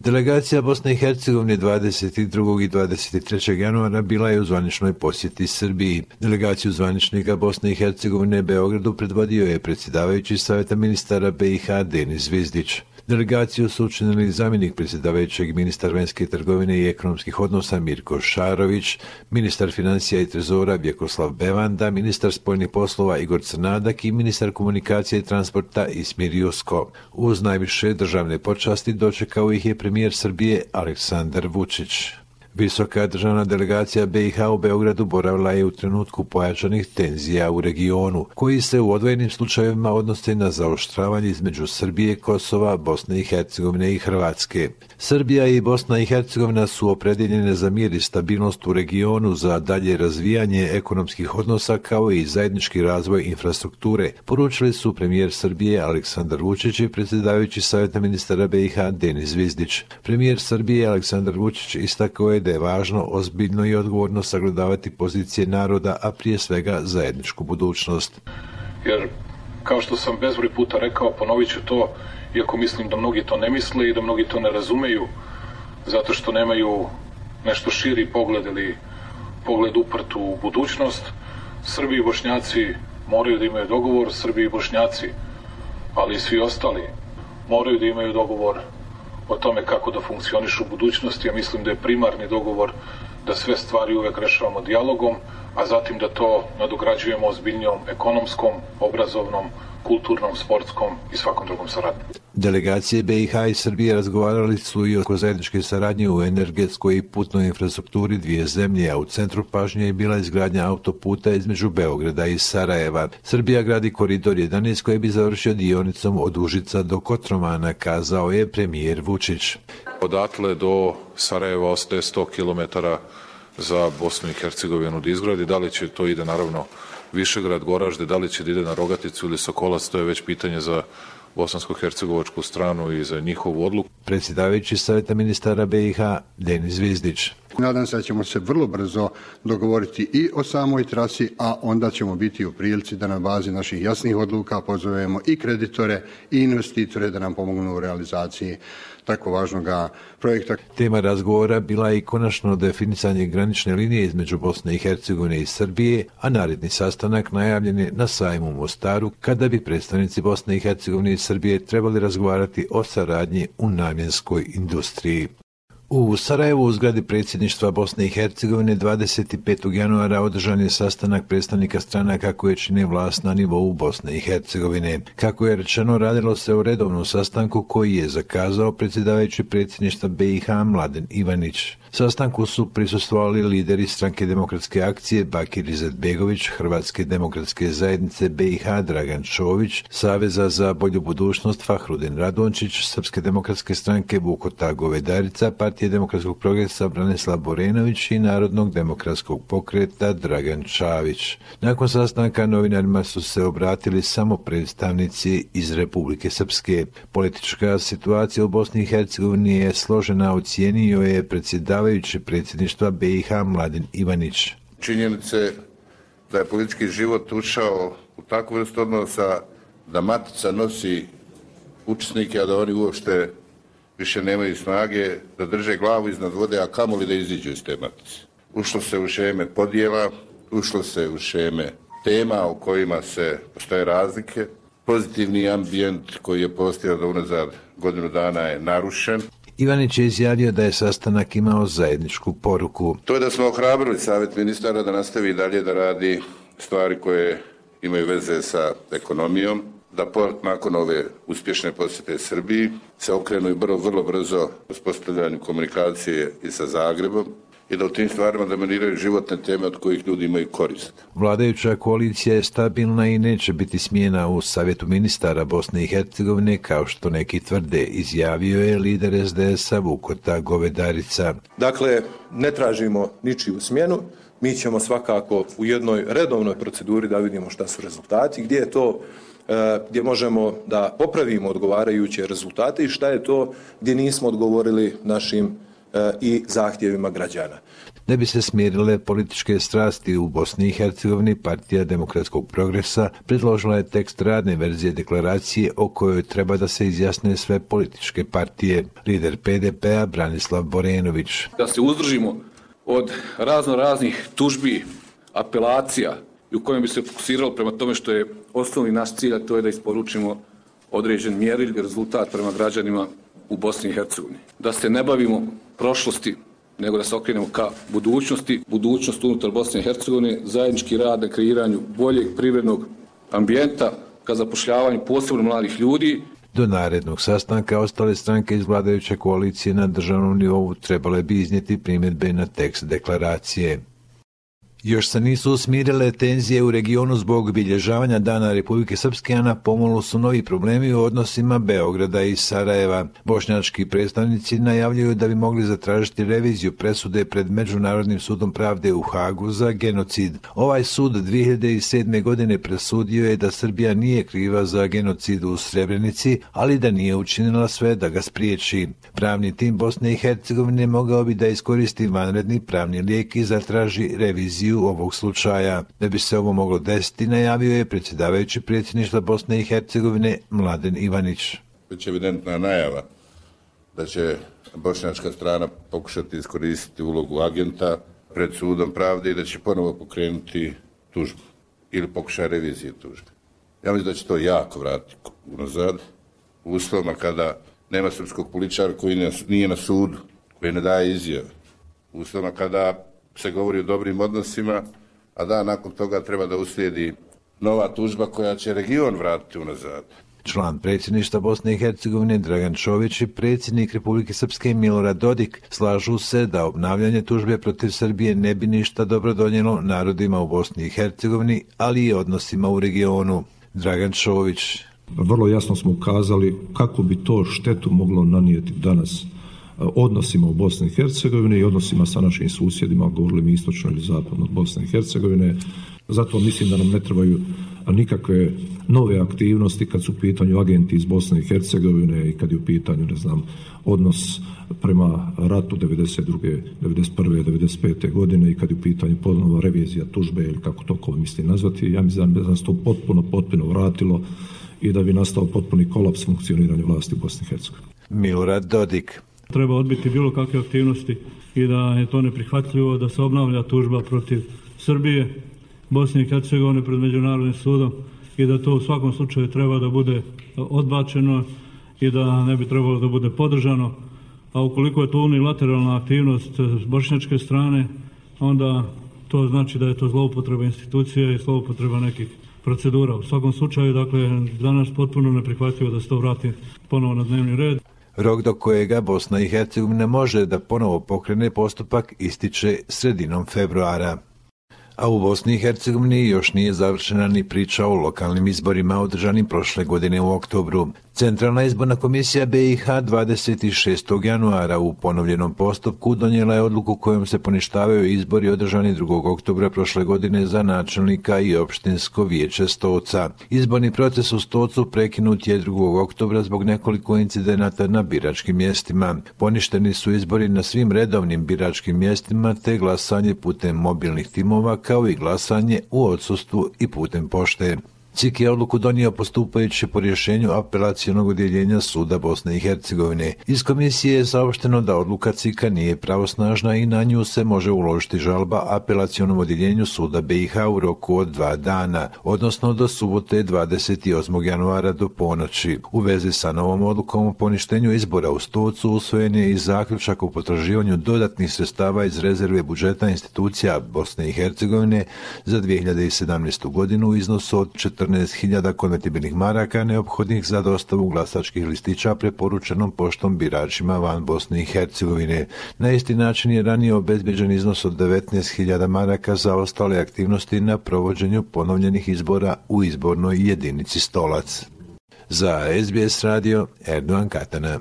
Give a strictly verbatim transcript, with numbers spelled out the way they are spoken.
Delegacija Bosne i Hercegovine dvadeset drugog i dvadeset trećeg januara bila je u zvaničnoj posjeti Srbiji. Delegaciju zvaničnika Bosne i Hercegovine Beogradu predvodio je predsjedavajući Saveta ministara B i H Denis Zvizdić. Delegaciju su učinili zamjenik predsjedavajućeg ministar vanjske trgovine i ekonomskih odnosa Mirko Šarović, ministar financija i trezora Vjekoslav Bevanda, ministar spoljnih poslova Igor Crnadak i ministar komunikacije i transporta Ismir Jusko. Uz najviše državne počasti dočekao ih je premijer Srbije Aleksandar Vučić. Visoka državna delegacija B i H u Beogradu boravila je u trenutku pojačanih tenzija u regionu, koji se u odvojenim slučajevima odnose na zaoštravanje između Srbije, Kosova, Bosne i Hercegovine i Hrvatske. Srbija i Bosna i Hercegovina su opredjeljene za mir i stabilnost u regionu, za dalje razvijanje ekonomskih odnosa kao i zajednički razvoj infrastrukture, poručili su premijer Srbije Aleksandar Vučić i predsjedavajući Saveta ministara B i H Denis Zvizdić. Premijer Srbije Aleksandar Vučić istakao je da je važno ozbiljno i odgovorno sagledavati pozicije naroda, a prije svega zajedničku budućnost. Jer, kao što sam bezbroj puta rekao, ponovit ću to, iako mislim da mnogi to ne misle i da mnogi to ne razumeju, zato što nemaju nešto širi pogled ili pogled uprt u budućnost. Srbi i Bošnjaci moraju da imaju dogovor, Srbi i Bošnjaci, ali i svi ostali moraju da imaju dogovor o tome kako da funkcionišu u budućnosti. Ja mislim da je primarni dogovor da sve stvari uvek rešavamo dijalogom, a zatim da to nadograđujemo ozbiljnijom ekonomskom, obrazovnom, kulturnom, sportskom i svakom drugom saradnjom. Delegacije B i H i Srbije razgovarali su i oko zajedničke saradnje u energetskoj i putnoj infrastrukturi dvije zemlje, a u centru pažnje je bila izgradnja autoputa između Beograda i Sarajeva. Srbija gradi koridor jedanaest koji bi završio dionicom od Užica do Kotromana, kazao je premijer Vučić. Odatle do Sarajeva ostaje sto kilometara za Bosnu i Hercegovinu da izgradi. Da li će to ide naravno Višegrad, Goražde, da li će da ide na Rogaticu ili Sokolac, to je već pitanje za bosansko-hercegovačku stranu i za njihovu odluku. Predsjedavajući Saveta ministara B i H Denis Zvizdić. Nadam se da ćemo se vrlo brzo dogovoriti i o samoj trasi, a onda ćemo biti u prilici da na bazi naših jasnih odluka pozovemo i kreditore i investitore da nam pomognu u realizaciji tako važnog projekta. Tema razgovora bila je i konačno definisanje granične linije između Bosne i Hercegovine i Srbije, a naredni sastanak najavljen je na sajmu u Mostaru, kada bi predstavnici Bosne i Hercegovine i Srbije trebali razgovarati o saradnji u namjenskoj industriji. U Sarajevu u zgradi predsjedništva Bosne i Hercegovine dvadeset petog januara održan je sastanak predstavnika stranaka koje čine vlast na nivou Bosne i Hercegovine. Kako je rečeno, radilo se o redovnom sastanku koji je zakazao predsjedavajući predsjedništva B i H Mladen Ivanić. Sastanku su prisustvovali lideri Stranke demokratske akcije Bakir Izetbegović, Hrvatske demokratske zajednice B i H Dragan Čović, Saveza za bolju budućnost Fahrudin Radončić, Srpske demokratske stranke Vukota Govedarica, Partije demokratskog progresa Branislav Borenović i Narodnog demokratskog pokreta Dragan Čavić. Nakon sastanka novinarima su se obratili samo predstavnici iz Republike Srpske. Politička situacija u Bosni i Hercegovini je složena, ocijenio je predsjedavajući predsjedništva B i H Mladen Ivanić. Činjenice da je politički život ušao u takvu vrstu odnosa da matica nosi učesnike, a da oni uopšte više nemaju snage da drže glavu iznad vode, a kamoli da iziđu iz te matice. Ušlo se u šeme podjela, ušlo se u šeme tema u kojima se postoje razlike. Pozitivni ambijent koji je postojao do unazad godinu dana je narušen. Ivanić je izjavio da je sastanak imao zajedničku poruku. To je da smo ohrabrili Savjet ministara da nastavi dalje da radi stvari koje imaju veze sa ekonomijom, da nakon ove uspješne posjete Srbiji se okrenu i vrlo, vrlo brzo uspostavljanju komunikacije i sa Zagrebom i da u tim stvarima dominiraju životne teme od kojih ljudi imaju korist. Vladajuća koalicija je stabilna i neće biti smjena u Savjetu ministara Bosne i Hercegovine, kao što neki tvrde, izjavio je lider S D S-a Vukota Govedarica. Dakle, ne tražimo ničiju smjenu, mi ćemo svakako u jednoj redovnoj proceduri da vidimo šta su rezultati, gdje je to gdje možemo da popravimo odgovarajuće rezultate i šta je to gdje nismo odgovorili našim i zahtjevima građana. Da bi se smirile političke strasti u Bosni i Hercegovini, Partija demokratskog progresa predložila je tekst radne verzije deklaracije o kojoj treba da se izjasne sve političke partije. Lider P D P-a Branislav Borenović. Da se uzdržimo od razno raznih tužbi, apelacija i u kojem bi se fokusiralo prema tome što je osnovni naš cilj, a to je da isporučimo određen mjeril i rezultat prema građanima u Bosni i Hercegovini. Da se ne bavimo prošlosti, nego da se okrenemo ka budućnosti, budućnost unutar Bosne i Hercegovine, zajednički rad na kreiranju boljeg privrednog ambijenta, ka zapošljavanju posebno mladih ljudi. Do narednog sastanka ostale stranke iz vladajuće koalicije na državnom nivou trebale bi iznijeti primjedbe na tekst deklaracije. Još se nisu smirile tenzije u regionu zbog obilježavanja Dana Republike Srpske, a na pomolu su novi problemi u odnosima Beograda i Sarajeva. Bošnjački predstavnici najavljuju da bi mogli zatražiti reviziju presude pred Međunarodnim sudom pravde u Hagu za genocid. Ovaj sud dvije hiljade sedme. godine presudio je da Srbija nije kriva za genocid u Srebrenici, ali da nije učinila sve da ga spriječi. Pravni tim Bosne i Hercegovine mogao bi da iskoristi vanredni pravni lijek i zatraži reviziju ovog slučaja. Da bi se ovo moglo desiti, najavio je predsjedavajući predsjedništva Bosne i Hercegovine Mladen Ivanić. Već je evidentna najava da će bošnjačka strana pokušati iskoristiti ulogu agenta pred sudom pravde i da će ponovo pokrenuti tužbu ili pokušaj revizije tužbe. Ja mislim da će to jako vratiti unazad u uslovima kada nema srpskog političara koji nije na sudu, koji ne daje izjave. U uslovima kada se govori o dobrim odnosima, a da nakon toga treba da uslijedi nova tužba koja će region vratiti unazad. Član predsjedništva Bosne i Hercegovine Dragan Čović i predsjednik Republike Srpske Milorad Dodik slažu se da obnavljanje tužbe protiv Srbije ne bi ništa dobro donijelo narodima u Bosni i Hercegovini, ali i odnosima u regionu. Dragan Čović. Vrlo jasno smo ukazali kako bi to štetu moglo nanijeti danas odnosima u Bosni i Hercegovini i odnosima sa našim susjedima, govorili mi istočno ili zapadno od Bosne i Hercegovine. Zato mislim da nam ne trebaju nikakve nove aktivnosti kad su u pitanju agenti iz Bosne i Hercegovine i kad je u pitanju, ne znam, odnos prema ratu devedeset druge, devedeset prve, devedeset pete godine i kad je u pitanju ponovno revizija tužbe ili kako to ko misli nazvati. Ja mislim da nas to potpuno, potpuno vratilo i da bi nastao potpuni kolaps funkcioniranja vlasti u Bosni i Hercegovini. Milorad Dodik. Treba odbiti bilo kakve aktivnosti i da je to neprihvatljivo da se obnavlja tužba protiv Srbije, Bosne i Hercegovine pred Međunarodnim sudom i da to u svakom slučaju treba da bude odbačeno i da ne bi trebalo da bude podržano. A ukoliko je to unilateralna aktivnost s bošnjačke strane, onda to znači da je to zloupotreba institucije i zloupotreba nekih procedura. U svakom slučaju, dakle, danas potpuno neprihvatljivo da se to vrati ponovo na dnevni red. Rok do kojega Bosna i Hercegovina može da ponovo pokrene postupak ističe sredinom februara. A u Bosni i Hercegovini još nije završena ni priča o lokalnim izborima održanim prošle godine u oktobru. Centralna izborna komisija B i H dvadeset šestog januara u ponovljenom postupku donijela je odluku kojom se poništavaju izbori održani drugog oktobra prošle godine za načelnika i opštinsko vijeće Stoca. Izborni proces u Stocu prekinut je drugog oktobra zbog nekoliko incidenata na biračkim mjestima. Poništeni su izbori na svim redovnim biračkim mjestima te glasanje putem mobilnih timova kao i glasanje u odsustvu i putem pošte. C I K je odluku donio postupajući po rješenju apelacionog odjeljenja suda Bosne i Hercegovine. Iz komisije je saopšteno da odluka C I K-a nije pravosnažna i na nju se može uložiti žalba apelacionom odjeljenju suda B i H u roku od dva dana, odnosno do subote dvadeset osmog januara do ponoći. U vezi sa novom odlukom o poništenju izbora u Stocu usvojen je i zaključak o potraživanju dodatnih sredstava iz rezerve budžeta institucija Bosne i Hercegovine za dvije hiljade sedamnaestu. godinu u iznosu od četrnaest hiljada konvertibilnih maraka neophodnih za dostavu glasačkih listića preporučenom poštom biračima van Bosne i Hercegovine. Na isti način je ranije obezbeđen iznos od devetnaest hiljada maraka za ostale aktivnosti na provođenju ponovljenih izbora u izbornoj jedinici Stolac. Za S B S radio Erdogan Katana.